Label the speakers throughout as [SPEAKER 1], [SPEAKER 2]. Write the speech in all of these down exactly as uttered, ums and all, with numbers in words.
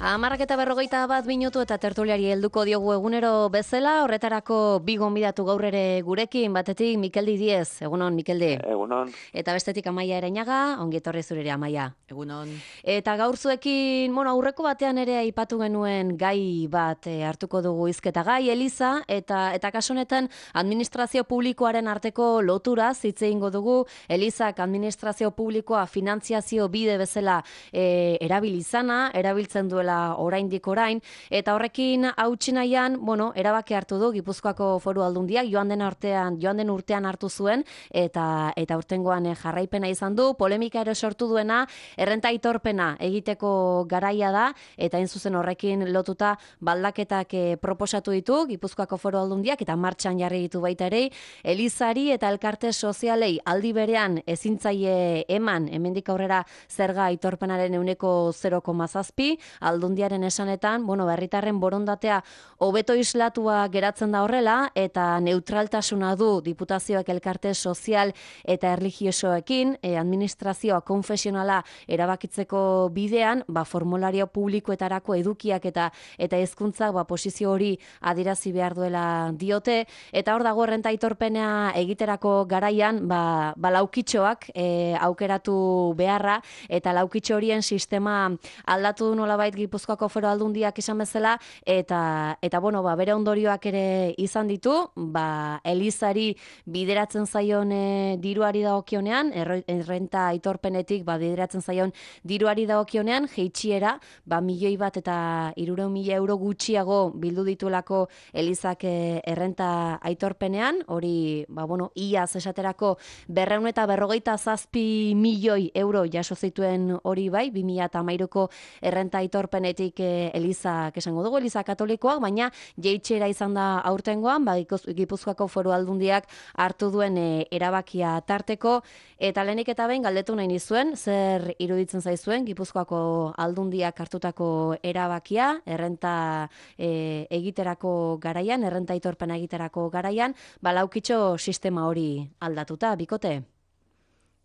[SPEAKER 1] Hamarrak eta berrogeita bat minutu eta tertuliari helduko diogu egunero bezala, horretarako bi gonbidatu gaur ere gurekin, batetik Mikeldi Diez, egunon Mikeldi.
[SPEAKER 2] Egunon.
[SPEAKER 1] Eta bestetik Amaia Ereñaga, ongi etorri zurere Amaia.
[SPEAKER 3] Egunon.
[SPEAKER 1] Eta gaur zuekin, bueno, aurreko batean ere aipatu genuen gai bat e, hartuko dugu hizketa gai, Eliza, eta eta kasu honetan administrazio publikoaren arteko lotura hitz egingo dugu. Elizak administrazio publikoa finantziazio bide bezala e, erabili izana, erabiltzen duela oraindik orain, eta horrekin hautsi nahian, bueno, erabaki hartu du Gipuzkoako Foru Aldundiak joan den artean, joan den urtean hartu zuen, eta eta urtengoan jarraipena izan du, polemika ere sortu duena, errenta aitorpena egiteko garaia da, eta hain zuzen horrekin lotuta baldaketak proposatu ditu Gipuzkoako Foru Aldundiak, eta martxan jarri ditu baita ere, Elizari eta elkarte sozialei aldi berean ezintzaile eman, hemendik aurrera zerga aitorpenaren ehuneko zero koma zazpi, Aldundiaren esanetan, bueno, herritarren borondatea hobeto islatua geratzen da horrela, eta neutraltasuna du diputazioak elkarte sozial eta erlijiosoekin, e, administrazioa konfesionala erabakitzeko bidean, ba, formulario publikoetarako edukiak eta eta hezkuntzak ba, posizio hori adierazi behar duela diote, eta hor dago errenta aitorpena egiterako garaian, ba, ba laukitxoak e, aukeratu beharra, eta laukitxo horien sistema aldatu du nolabait Gipuzkoako Foru Aldundiak izan bezala, eta eta bueno, ba, bere ondorioak ere izan ditu, ba, Elizari bideratzen zaion e, diruari dagokionean, errenta aitorpenetik ba, bideratzen zaion diruari dagokionean, jeitsiera, ba, milioi bat eta hirurehun mila euro gutxiago bildu ditulako Elizak e, errenta aitorpenean, hori, ba, bueno, iaz esaterako berrehun eta berrogeita zazpi milioi euro jaso zituen hori bai, bi mila hamairuko errenta aitorpenetik e, Elizak esango dugu, Eliza katolikoak, baina jeitxera izan da aurtengoan, ba, Gipuzkoako Foru Aldundiak hartu duen e, erabakia tarteko, eta lehenik eta behin galdetu nahi nizuen, zer iruditzen zaizuen Gipuzkoako Aldundiak hartutako erabakia, errenta e, egiterako garaian, errenta aitorpena egiterako garaian, ba, laukitxo sistema hori aldatuta, bikote?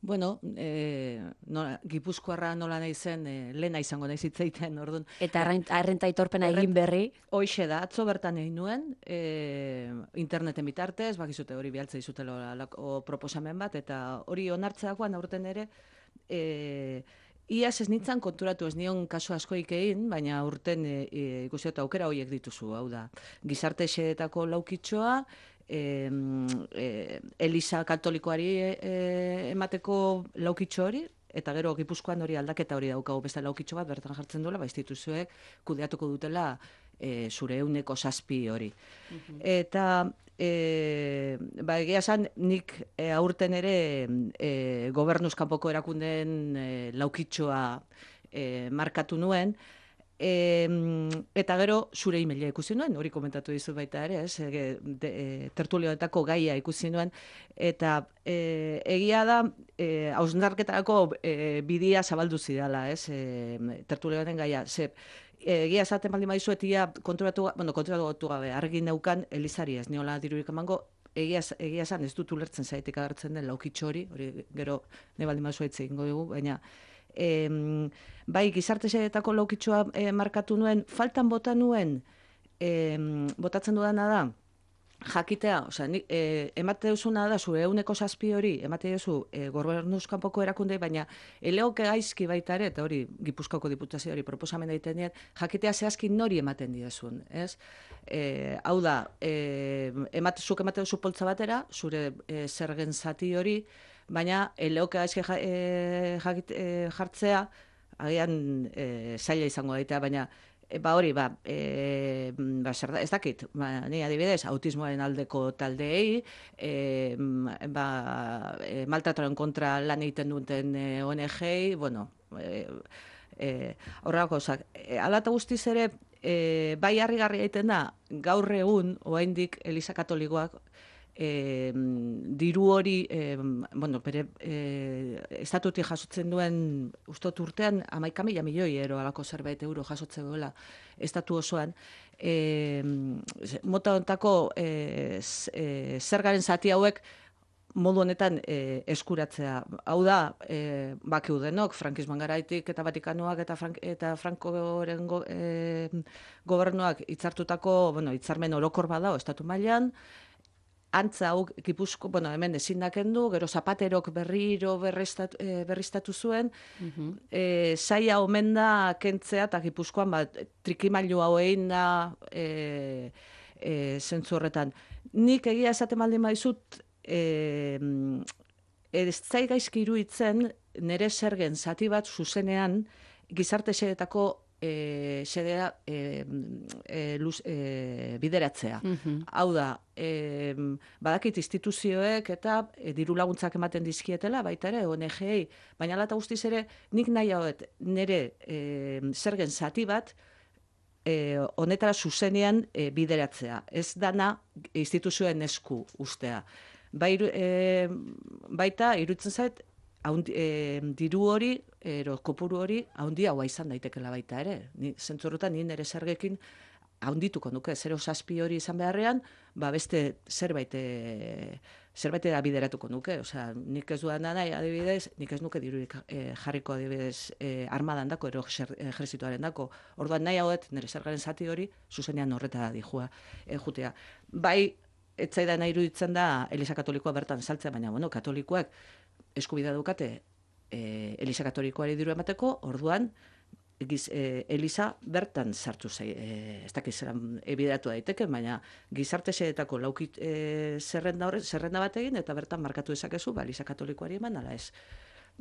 [SPEAKER 3] Bueno, e, nola, Gipuzkoarra nola nahi zen, e, lehena izango nahi zitzaiten, orduan.
[SPEAKER 1] Eta errenta aitorpena egin berri?
[SPEAKER 3] Hoixe da, atzo bertan egin nuen, e, interneten bitartez, bakizute hori bialtza izutelo o proposamen bat, eta hori onartzeakoan aurten ere, e, iaz ez nintzen konturatu, ez nion kasu askoik egin, baina urten e, e, ikusi eta aukera horiek dituzu, hau da. Gizarte xeetako laukitxoa, E, e, Eliza katolikoari e, emateko laukitxo hori, eta gero Gipuzkoan hori aldaketa hori daukagu beste laukitxo bat, bertan jartzen duela, ba, instituzioek kudeatuko dutela e, zure euneko zazpi hori. Uh-huh. Eta e, ba, egia esan nik e, aurten ere e, gobernuz kanpoko erakundeen e, laukitxoa e, markatu nuen, E, eta gero zure emaila ikusi nuen, hori komentatu dizu baita ere, ez, e, de, e, tertulioetako gaia ikusi nuen, eta e, egia da, e, hausnarketarako e, bidia zabaldu zidala, ez, e, tertulioeten gaia, ze, egia esaten baldin badizuet, ia konturatu, bueno, konturatu gabe, argi neukan Elizari ez, niola dirurik emango, egia, egia esan ez dut ulertzen zaitik agertzen den laukitxo hori, hori gero ne baldin badizuet egingo dugu, baina E, bai, gizarte xeetako laukitxoa e, markatu nuen, faltan bota nuen, e, botatzen dudana da, jakitea, osea, e, emate duzuna da, zure euneko zazpi hori, emate duzu e, gobernuz kanpoko erakunde, baina eleoke gaizki baita ere, eta hori Gipuzkoako diputazio hori proposamen egiten dien, jakitea zehazki nori ematen didazun, ez? E, hau da, e, emate, zuk emate duzu poltza batera, zure e, zergen zati hori, baina eleoke gaizki ja, e, jakit, e, jartzea, agian e, zaila izango daita, baina E, ba hori, ba, e, ba, zer da, ez dakit, ba, ni adibidez, autismoaren aldeko taldeei, e, ba, e, maltrataren kontra lan egiten duten e, O N G-ei, bueno, e, e, horrelako, ozak, e, alata guztiz ere, e, bai harrigarria egiten da, gaur egun, oraindik Eliza Katolikoak, E, diru hori, e, bueno, bere e, estatutik jasotzen duen ustot urtean hamaika mila milioi euro alako zerbait euro jasotzen duela estatu osoan, e, mota hontako e, e, zergaren zati hauek modu honetan e, eskuratzea. Hau da, e, bakiu denok, frankismoan garaitik eta Vatikanoak eta, Frank, eta Frankoren go, e, gobernuak hitzartutako, bueno, hitzarmen orokor badao estatu mailan, antza hau Gipuzko, bueno, hemen ezin da kendu, gero Zapaterok berriro berriztatu, e, berriztatu zuen,
[SPEAKER 1] Mhm.
[SPEAKER 3] e, saia omen da kentzea eta Gipuzkoan bat, trikimailu hau egin da e, e, zentzu horretan. Nik egia esaten baldin baizut, e, ez zai gaizki iruditzen nire zergen zati bat zuzenean gizarte xedetako e, xedea e, e, luz, e, bideratzea.
[SPEAKER 1] Mhm.
[SPEAKER 3] Hau da, e, badakit instituzioek eta e, diru laguntzak ematen dizkietela, baita ere, O N G-ei, baina ala eta guztiz ere, nik nahi hauet nire e, zergen zati bat e, honetara zuzenean e, bideratzea. Ez dana instituzioen esku ustea. Bai, e, baita, iruditzen zait, haundi, e, diru hori, ero kopuru hori, haundi haua izan daitekela baita ere. Ni, zentzorretan, ni nire zergekin haundituko nuke, zero zazpi hori izan beharrean, ba beste zerbait e, zerbait da bideratuko nuke. Osea, nik ez dudan nahi, adibidez, nik ez nuke dirurik e, jarriko adibidez e, armadan dako, ero ejerzituaren dako. Orduan nahi hauet, nire zergaren zati hori, zuzenean horreta dijua, e, jutea. Bai, etzaidan nahi iruditzen da Eliza Katolikoa bertan saltzea, baina, bueno, katolikoak eskubidea dukate e, Eliza Katolikoari diru emateko, orduan, Giz, e, Eliza bertan sartu zai, e, ez dakiz zeran ebideratu daiteke, baina gizarte xedetako laukit e, zerrenda, horre, zerrenda bat egin, eta bertan markatu dezakezu, ba, Eliza Katolikoari eman, ala ez.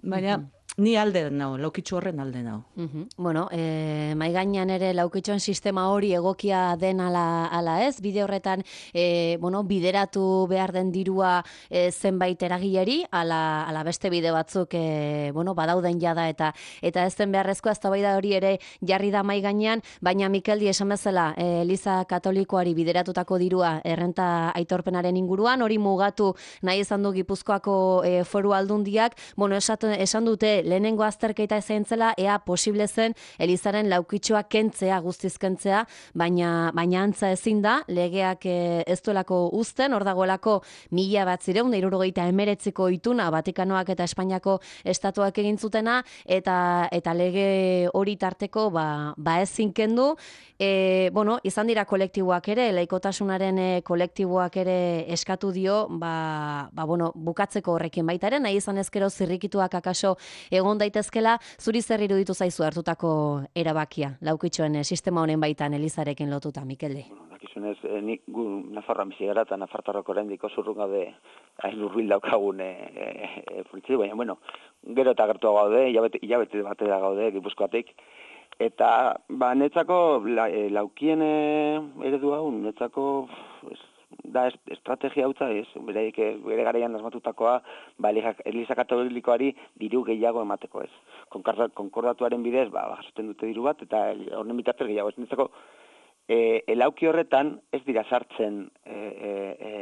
[SPEAKER 3] Baina, mm-hmm. Ni alde nau, laukitxo horren alde nau.
[SPEAKER 1] Mm-hmm. Bueno, e, maigainan ere laukitxoen sistema hori egokia den ala, ala ez, bide horretan e, bueno, bideratu behar den dirua e, zenbait eragileri, ala, ala beste bide batzuk e, bueno, badauden jada eta eta ez den beharrezko eztabaida hori ere jarri da maigainan, baina Mikeldi esan bezala, e, Eliza Katolikoari bideratutako dirua errenta aitorpenaren inguruan, hori mugatu nahi izan du Gipuzkoako e, foru aldundiak, bueno, esat, esan dute lehenengo azterketa ezain zela, ea posible zen Elizaren laukitxoa kentzea, guztiz kentzea, baina, baina antza ezin da, legeak e, ez duelako uzten, hor dagoelako mila bat zireun, da hirurogeita emeretziko ituna, Vatikanoak eta Espainiako estatuak egin zutena, eta, eta lege hori tarteko ba, ba ezin kendu, e, bueno, izan dira kolektiboak ere, laikotasunaren e, kolektiboak ere eskatu dio, ba, ba bueno, bukatzeko horrekin baita ere, nahi izan ezkero zirrikituak akaso egon daitezkela, zuri zer iruditu zaizu hartutako erabakia, laukitxoen sistema honen baitan Elizarekin lotuta, Mikelde?
[SPEAKER 2] Bueno, dakizunez, eh, nik gu Nafarroan bizi gara eta Nafartarroko oraindik oso urrun gaude hain hurbil daukagun e, e, e, baina, bueno, gero eta gertu gaude, hilabete, hilabete batera gaude Gipuzkoatik, eta ba, netzako la, e, laukien e, eredu hau, netzako es, da est, estrategia hautza ez, bere, bere garaian asmatutakoa, ba, Eliza Katolikoari diru gehiago emateko ez. Konkordatuaren bidez, ba, jasoten dute diru bat, eta horren bitartez gehiago ez. Netzako, e, elauki horretan ez dira sartzen e, e, e,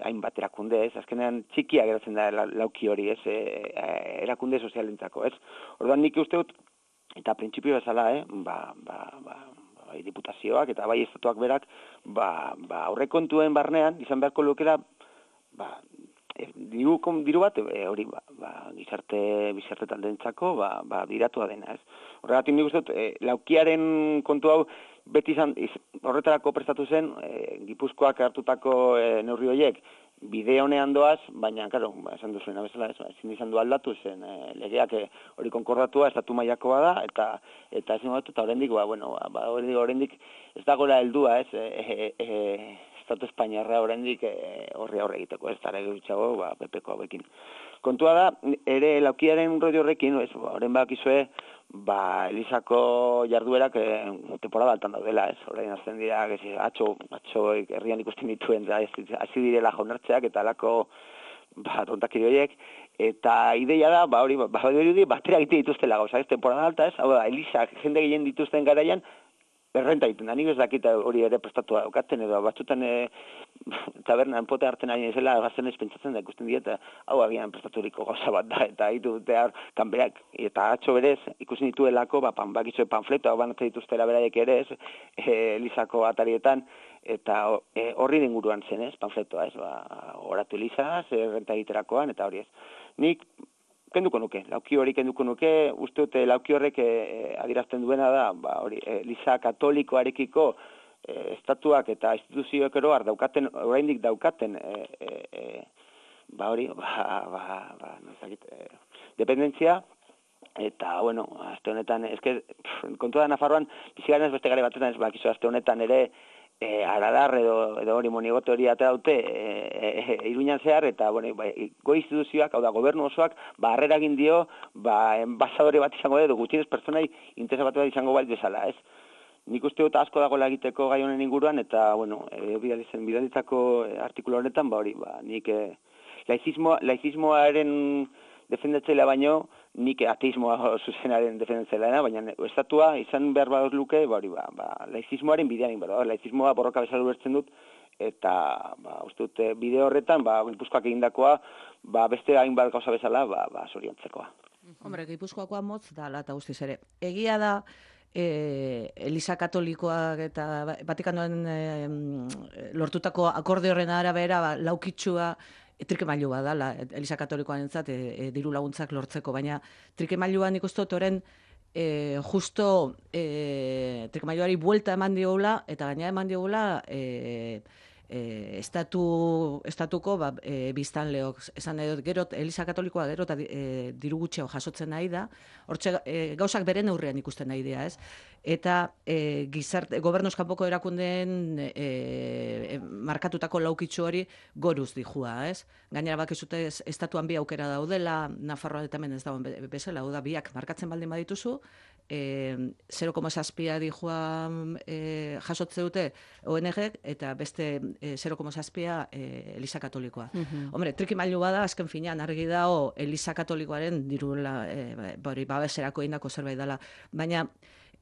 [SPEAKER 2] hainbat erakunde ez, azkenean txikia geratzen da lauki hori ez, e, e, erakunde sozialentzako ez. Orduan nik uste dut, eta printzipio bezala, eh, ba, ba, ba, bai diputazioak eta bai estatuak berak, ba, ba aurrekontuen barnean izan beharko lukela, ba, e, diru, diru bat e, hori ba, ba, gizarte bizarte taldentzako ba, ba biratua dena, ez. Horregatik nik uste dut, e, laukiaren kontu hau beti izan iz, horretarako prestatu zen e, Gipuzkoak hartutako e, neurri horiek bide honean doaz, baina, karo, ba, esan duzuena bezala, ez, ezin izan du aldatu zen, e, legeak e, hori konkordatua, estatu mailakoa da, eta eta ezin dut, eta oraindik, ba, bueno, ba, oraindik ez dagoela heldua, ez, e, e, e, estatu espainiarra oraindik e, horri aurre egiteko, ez, tara egitxago, ba, P P-ko hauekin. Kontua da, ere, laukiaren roi horrekin, ez, ba, orain bakizue, ba, Elizako jarduerak e, temporada altan daudela, ez? Orain azten dira, gezi, atxo, atxo herrian ikusten dituen, da, hasi direla jaunartzeak eta alako ba, tontakiri horiek, eta ideia da, ba, hori, ba, hori batera egite dituztela gauza, ez? Temporada alta, ez? Hau da, Elizak jende gehien dituzten garaian, errenta egiten da, nik ez dakit hori ere prestatua daukaten, edo batzutan e, tabernan pote hartzen ari zela, gazten ez pentsatzen da ikusten dieta, hau agian prestaturiko gauza bat da, eta hitu dute har, kanberak, eta atxo berez, ikusten dituelako, ba, pan, bakitxo panfleto, hau banatzen dituztela beraiek ere ez, e, Elizako atarietan, eta e, horri inguruan zen, ez, panfletoa, ez, ba, oratu Elizaz, errenta egiterakoan, eta hori ez. Nik kenduko nuke, lauki hori kenduko nuke, uste dute lauki horrek e, adierazten duena da, ba, hori, Eliza katolikoarekiko e, estatuak eta instituzioek eroar daukaten, oraindik daukaten, e, e, e, ba hori, ba, ba, ba, nozakit, e, dependentzia, eta, bueno, azte honetan, eske, kontua da Nafarroan, bizigaren ez beste gare batetan, ez bakizu azte honetan ere, e, aradar edo, edo hori monigote hori atea dute e, e, e, Iruñan zehar, eta, bueno, ba, go instituzioak, hau da, gobernu osoak, ba, harrera egin dio, ba, enbasadore bat izango edo, gutxienez pertsonai interesa bat izango bait bezala, ez? Nik uste dut asko dagoela egiteko gai honen inguruan, eta, bueno, e, bidalitzako artikulu honetan, ba, hori, ba, nik, e, laizismoa, laizismoaren defendatzailea baino, nik ateismoa zuzenaren defendatzailea, baina estatua izan behar badut luke, ba, hori, ba, ba, laizismoaren bidean, ba, laizismoa borroka bezala ulertzen dut, eta, ba, uste dut, bide horretan, ba, Gipuzkoak egindakoa, ba, beste hainbat gauza bezala, ba, ba, zoriontzekoa.
[SPEAKER 3] Hombre, Gipuzkoakoa motz da, eta guztiz ere. Egia da, e, Eliza Katolikoak eta Vatikanoen e, lortutako akorde horren arabera, ba, laukitxua, trikemailua da, Eliza Katolikoaren zat, e, e, diru laguntzak lortzeko, baina trikemailuan ikustu oren e, justo e, trikemailuari buelta eman diogula, eta gaina eman diogula e, e, estatu, estatuko ba, e, biztanleok, esan edo, gero, Eliza Katolikoa gero eta e, diru gutxeo jasotzen nahi da, hortxe e, gauzak beren aurrean ikusten nahi dira, ez? Eta e, gizarte, gobernuz kanpoko erakundeen e, e, markatutako laukitxu hori goruz dijua, ez? Gainera bakizute estatuan bi aukera daudela, Nafarroa eta hemen ez dagoen bezala, hau da biak markatzen baldin badituzu, e, zero koma zazpia dijua e, jasotze dute O N G eta beste e, zero koma zazpia e, Eliza Katolikoa. Uh-huh. Hombre, trikimailu bada, azken finean argi dago Eliza Katolikoaren dirula e, bari babeserako indako zerbait dela, baina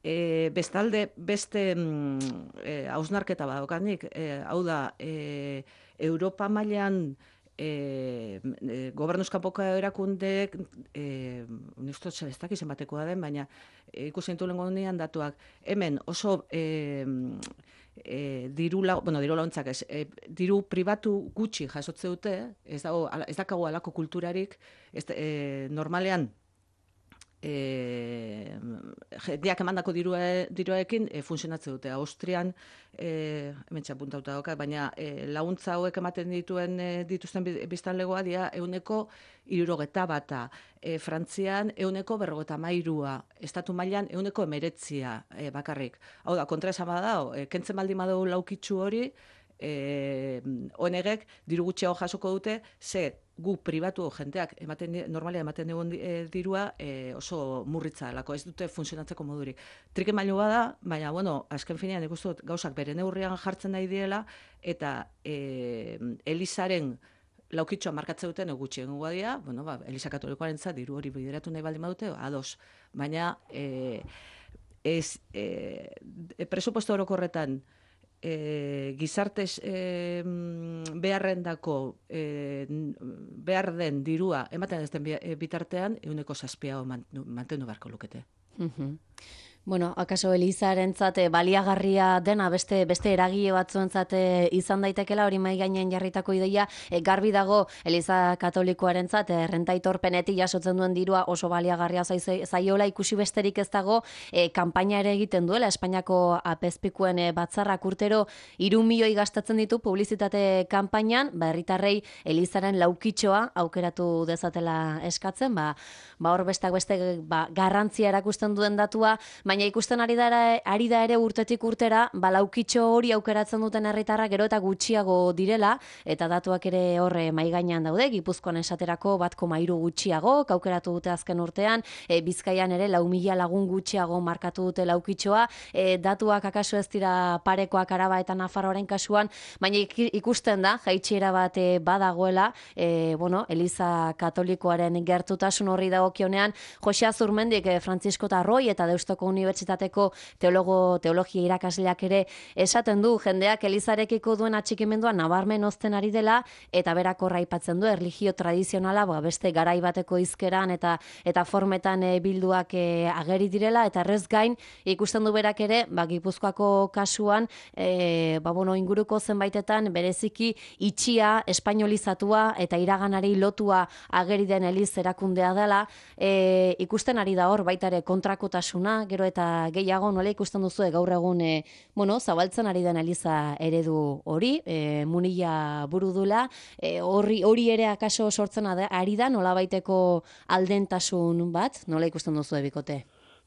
[SPEAKER 3] E, bestalde, beste mm, e, hausnarketa badokanik, e, hau da, e, Europa mailan e, e, gobernuz kanpoko erakundeek, e, unistot ez dakiz zenbatekoa den, baina e, ikusten du lengo honean datuak, hemen oso e, e, diru, la, bueno, diru launtzak ez, e, diru pribatu gutxi jasotze dute, ez, dago, ez dakago alako kulturarik, ez, e, normalean, E, diak emandako dirua, diruaekin e, funtzionatzen dute. Austrian, e, hemen txapuntauta dauka, baina e, laguntza hauek ematen dituen e, dituzten biztanlegoa dira euneko hirurogeta bata. E, Frantzian euneko berrogeta mairua, estatu mailan euneko emeretzia e, bakarrik. Hau da, kontra esan badao, e, kentzen baldin badau laukitxu hori, E, O N G-ek diru gutxiago jasoko dute, ze gu pribatu jenteak ematen normalia ematen dugun e, dirua e, oso murritza delako, ez dute funtzionatzeko modurik. Trikemailua da, baina bueno, azken finean ikustu dut gauzak bere neurrian jartzen nahi diela, eta e, Elizaren laukitxoa markatzen duten gutxien guadia, bueno, ba, Eliza Katolikoarentzat diru hori bideratu nahi baldin badute, ados. Baina e, ez e, presupuesto orokorretan E, gizartez e, beharrendako e, behar den dirua ematen ez den bitartean euneko zazpia mantendu beharko lukete.
[SPEAKER 1] Uh-huh. Bueno, akaso Elizarentzat baliagarria dena beste beste eragile batzuentzat izan daitekela hori mai gainean jarritako ideia e, garbi dago Eliza Katolikoarentzat errentaitorpenetik jasotzen duen dirua oso baliagarria zaiola ikusi besterik ez dago e, kanpaina ere egiten duela Espainiako apezpikuen e, batzarrak urtero hiru milioi gastatzen ditu publizitate kanpainan, ba herritarrei Elizaren laukitxoa aukeratu dezatela eskatzen, ba ba hor besteak beste ba, garrantzia erakusten duen datua, baina ikusten ari da, ari da ere urtetik urtera, ba laukitxo hori aukeratzen duten herritarrak gero eta gutxiago direla, eta datuak ere horre mai gainean daude, Gipuzkoan esaterako bat koma hiru gutxiago, aukeratu dute azken urtean, e, Bizkaian ere lau mila lagun gutxiago markatu dute laukitxoa, e, datuak akaso ez dira parekoak Araba eta Nafarroaren kasuan, baina ikusten da, jaitsiera bat e, badagoela, e, bueno, Eliza Katolikoaren gertutasun horri dagokionean, Jose Azurmendik, e, Francisco Tarroi eta Deustuko Unibertsitatean Unibertsitateko teologo, teologia irakasleak ere esaten du jendeak elizarekiko duen atxikimendua nabarmen ozten ari dela, eta berak horra aipatzen du erlijio tradizionala ba, beste garai bateko hizkeran eta eta formetan e, bilduak e, ageri direla, eta errez gain ikusten du berak ere, ba, Gipuzkoako kasuan, e, ba, bueno, inguruko zenbaitetan bereziki itxia, espainolizatua eta iraganari lotua ageri den eliz erakundea dela, e, ikusten ari da hor baita ere kontrakotasuna, gero eta gehiago nola ikusten duzu gaur egun e, bueno, zabaltzen ari den eliza eredu hori, e, munila buru dula, e, hori, hori ere akaso sortzen ari da, nola baiteko aldentasun bat, nola ikusten duzu ebikote?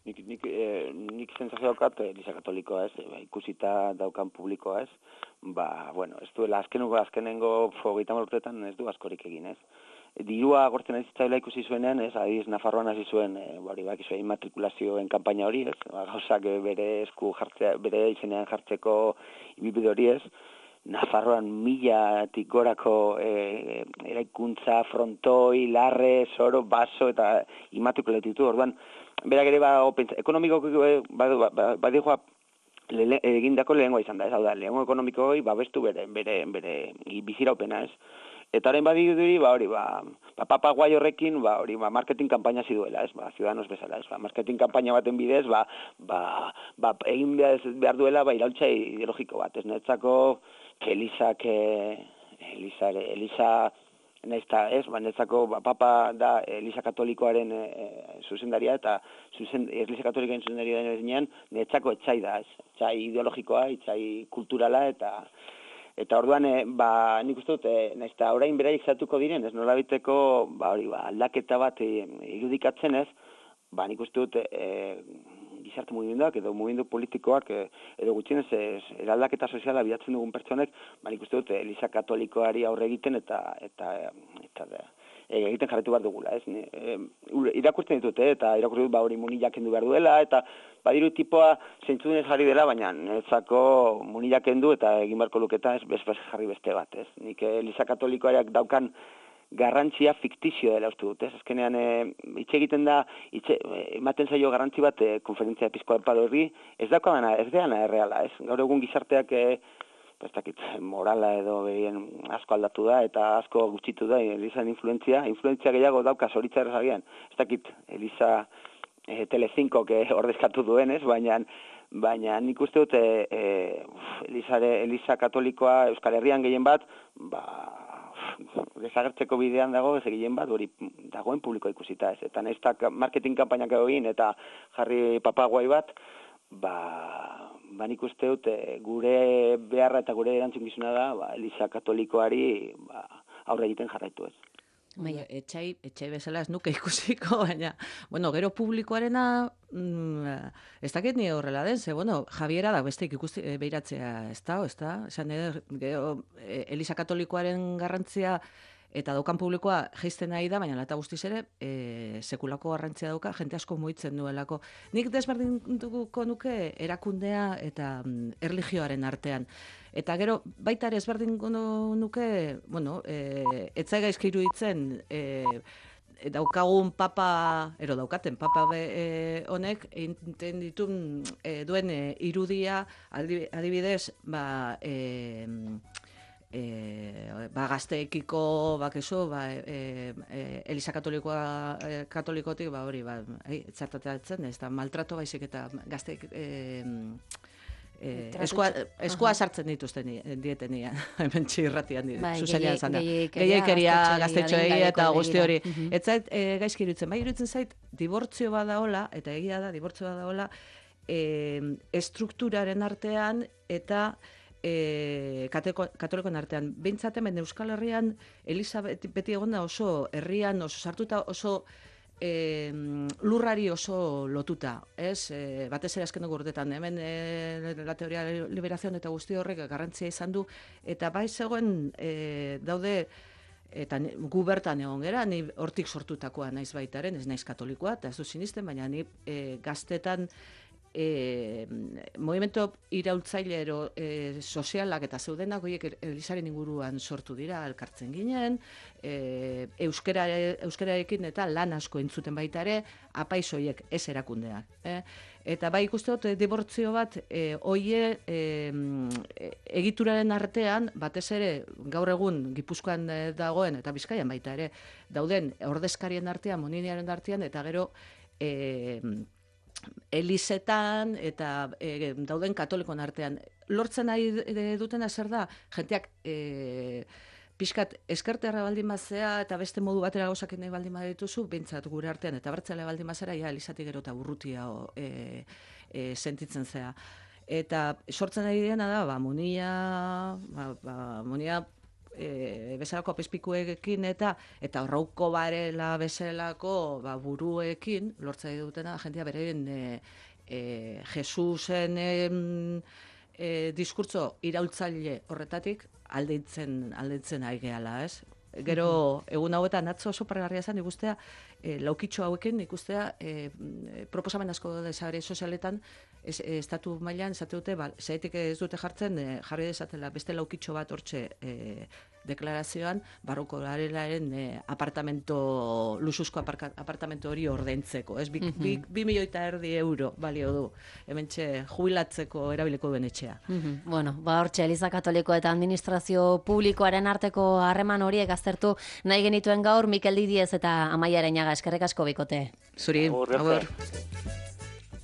[SPEAKER 2] Nik, nik, eh, nik zentzazio daukat Eliza Katolikoa ez, eh, ikusita daukan publikoa ez, ba, bueno, ez duela azkenengo, azkenengo hogeita hamar urteetan ez du askorik egin ez. Dirua agortzen ez zitzaila ikusi zuenean, ez, adiz Nafarroan hasi zuen, e, hori bak izuen immatrikulazioen kanpaina hori, ez, ba, gauzak bere esku jartzea, bere izenean jartzeko ibibide hori ez, Nafarroan milatik gorako e, eraikuntza, frontoi, larre, soro, baso eta immatrikulatu ditu, orduan, berak ere ba, ekonomiko badu, badijoa egindako lehengoa izan da, ez hau da, lehengo ekonomikoi babestu bere, bere, bere biziraupena, ez. Eta haren badirudi, ba hori, ba, ba papa guai horrekin, ba hori, ba marketing kanpaina ziduela, ez, ba ciudadanos bezala, ez, ba marketing kanpaina baten bidez, ba, ba, ba egin behar duela, ba iraultza ideologiko bat, ez, netzako Elizak, Eliza, Eliza, nahizta, ez, ba netzako, ba papa da Eliza Katolikoaren e, zuzendaria, eta zuzen, Eliza Katolikoaren zuzendaria denean, netzako etxai da, ez, etxai ideologikoa, etxai kulturala, eta Eta orduan, e, ba, nik uste dut, e, nahizta orain beraik zatuko diren, ez nolabiteko, ba, hori, ba, aldaketa bat e, irudikatzen ez, ba, nik uste dut, e, gizarte mugimenduak edo mugimendu politikoak, e, edo gutxienez, ez, eraldaketa soziala bilatzen dugun pertsonek, ba, nik uste dut, Eliza Katolikoari aurre egiten eta, eta, eta, eta e, egiten jarretu behar dugula, ez? E, irakurtzen ditut, eh? Eta irakurtzen dut, ba, hori munilak kendu behar duela, eta badiru tipoa zeintzudunez jarri dela, baina netzako munilak kendu eta egin beharko luketa ez bez jarri beste bat, ez? Nik Eliza Katolikoak daukan garrantzia fiktizio dela uste dut, ez? Azkenean, e, hitz egiten da, hitz, ematen zaio garrantzi bat e, konferentzia episkopal horri, ez daukana, ez deana erreala, ez? Gaur egun gizarteak e, ez dakit, morala edo behien asko aldatu da eta asko gutxitu da Elizaren influentzia, influentzia gehiago dauka zoritza agian. Ez dakit, Eliza e, Telecinco que ordezkatu duenez, baina baina nik uste dut e, e, Elizare, Eliza Katolikoa Euskal Herrian gehien bat, ba desagertzeko bidean dago, ez gehien bat, hori dagoen publikoa ikusita ez. Eta naiztak marketing kanpainak egin eta jarri papaguai bat, ba, ba nik uste dut gure beharra eta gure erantzukizuna da, ba, Eliza Katolikoari ba, aurre egiten jarraitu ez.
[SPEAKER 3] Baina, etxai, etxai bezala ez nuke ikusiko, baina, bueno, gero publikoarena, mm, ez dakit ni horrela den, ze, bueno, Javiera da besteik ikusti, e, behiratzea, ez da, ez da, esan edo, gero, e, Eliza Katolikoaren garrantzia eta daukan publikoa jaisten nahi da, baina lata guztiz ere, e, sekulako garrantzia dauka, jente asko muitzen duelako. Nik desberdintuko nuke erakundea eta mm, erlijioaren artean. Eta gero, baita ere ezberdin nuke, bueno, e, etzai gaizki iruditzen, e, daukagun papa, ero daukaten papa be, e, honek, egiten ditun e, duen e, irudia, adibidez, ba, e, e, ba, gazteekiko, bakezu, ba, e, e, Eliza Katolikoa, e, katolikotik, ba, hori, ba, e, txartatzen, ez da, maltrato baizik eta gazteek, e, Eh, eskua, eskua sartzen dituzten dietenia, hemen txirratian zuzenian zan da. Gehiaikeria, gaztetxoei eta guzti hori. Ez zait, e, gaizki iruditzen, bai iruditzen zait, dibortzio badaola, eta egia da, dibortzio badaola, e, estrukturaren artean eta e, katolikoen artean. Behintzat hemen Euskal Herrian, Eliza beti egon da oso herrian, oso sartuta, oso E, lurrari oso lotuta, ez? E, batez ere azken dugu urtetan, hemen e, la teoria de liberación eta guzti horrek garrantzia izan du, eta bai zegoen e, daude, eta gu bertan egon gera, ni hortik sortutakoa naiz baitaren, ez naiz katolikoa, eta ez du sinisten, baina ni e, gaztetan E, movimento iraultzailero e, sozialak eta zeudenak horiek Elizaren inguruan sortu dira, elkartzen ginen, e, euskera, euskerarekin eta lan asko entzuten baita ere, apaiz horiek ez erakundeak. Eh? Eta bai ikuste dut, dibortzio bat, e, oie e, egituraren artean, batez ere, gaur egun Gipuzkoan dagoen, eta Bizkaian baita ere, dauden ordezkarien artean, moniniaren artean, eta gero e, elizetan eta e, dauden katolikon artean. Lortzen nahi dutena zer da, jenteak e, pixkat eskerterra baldin mazea eta beste modu batera gauzak nahi baldin badituzu, bintzat gure artean, eta bertzale baldin mazera, ja, elizatik gero eta urrutia e, e, sentitzen zea. Eta sortzen nahi diena da, ba, monia, ba, ba, monia e, bezalako apezpikuekin eta eta horrauko barela bezalako ba, buruekin, lortzen nahi dutena, jentia berein e, e, Jesusen e, e, diskurtso iraultzaile horretatik, aldeitzen, aldeitzen ari gehala, ez? Gero, egun hauetan atzo oso pargarria zen, ikustea, e, laukitxo hauekin, ikustea, e, proposamen asko da sare sozialetan, ez, e, estatu mailan, esate dute, ba, zaitik ez dute jartzen, e, jarri dezatela beste laukitxo bat hortxe e, deklarazioan, barroko larelaren e, apartamento, lusuzko aparka, apartamento hori ordaintzeko, ez? Bi, uh -huh. bi, bi milioita erdi euro balio du, hementxe jubilatzeko erabiliko duen etxea.
[SPEAKER 1] Uh -huh. Bueno, ba hortxe, Eliza Katoliko eta administrazio publikoaren arteko harreman horiek aztertu nahi genituen gaur, Mikel Didiez eta Amaia Areñaga, eskerrik asko bikote.
[SPEAKER 3] Zuri,
[SPEAKER 2] Agur,
[SPEAKER 3] agur.